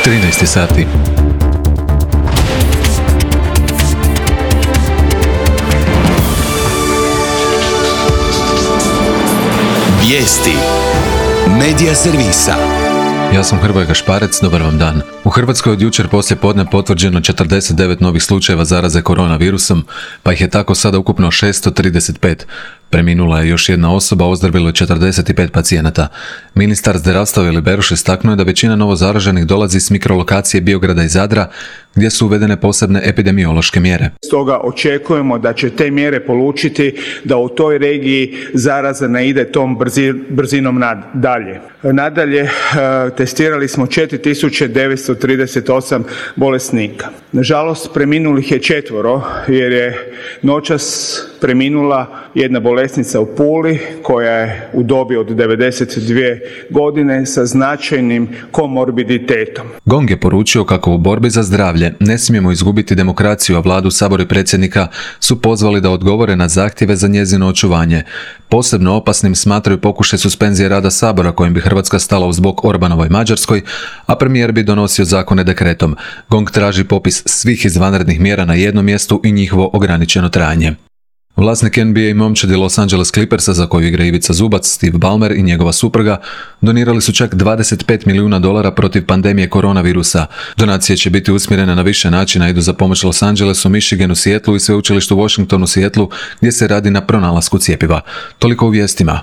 13 sati. Vijesti Medija servisa. Ja sam Hrvoje Gašparec, dobar vam dan. U Hrvatskoj od jučer poslije podne potvrđeno 49 novih slučajeva zaraze koronavirusom, pa ih je tako sada ukupno 635. Preminula je još jedna osoba, ozdravilo je 45 pacijenata. Ministar zdravstva Vili Beroš istaknuo je da većina novozaraženih dolazi s mikrolokacije Biograda i Zadra, gdje su uvedene posebne epidemiološke mjere. Stoga očekujemo da će te mjere polučiti da u toj regiji zaraza ne ide tom brzinom dalje. Nadalje, testirali smo 4938 bolesnika. Nažalost, preminulih je 4 jer je noćas preminula jedna bolesnica u Puli koja je u dobi od 92 godine sa značajnim komorbiditetom. GONG je poručio kako u borbi za zdravlje ne smijemo izgubiti demokraciju, a vladu, sabor i predsjednika su pozvali da odgovore na zahtjeve za njezino očuvanje. Posebno opasnim smatraju pokušaj suspenzije rada sabora kojim bi Hrvatska stala uz bok Orbanovoj Mađarskoj, a premijer bi donosio zakone dekretom. GONG traži popis svih izvanrednih mjera na jednom mjestu i njihovo ograničeno trajanje. Vlasnik NBA momčadi Los Angeles Clippersa, za koju igra Ivica Zubac, Steve Ballmer i njegova supruga, donirali su čak $25 milijuna protiv pandemije koronavirusa. Donacije će biti usmjerene na više načina, idu za pomoć Los Angelesu, Michiganu, Seattlu i sveučilištu Washingtonu, Seattlu, gdje se radi na pronalasku cjepiva. Toliko u vijestima.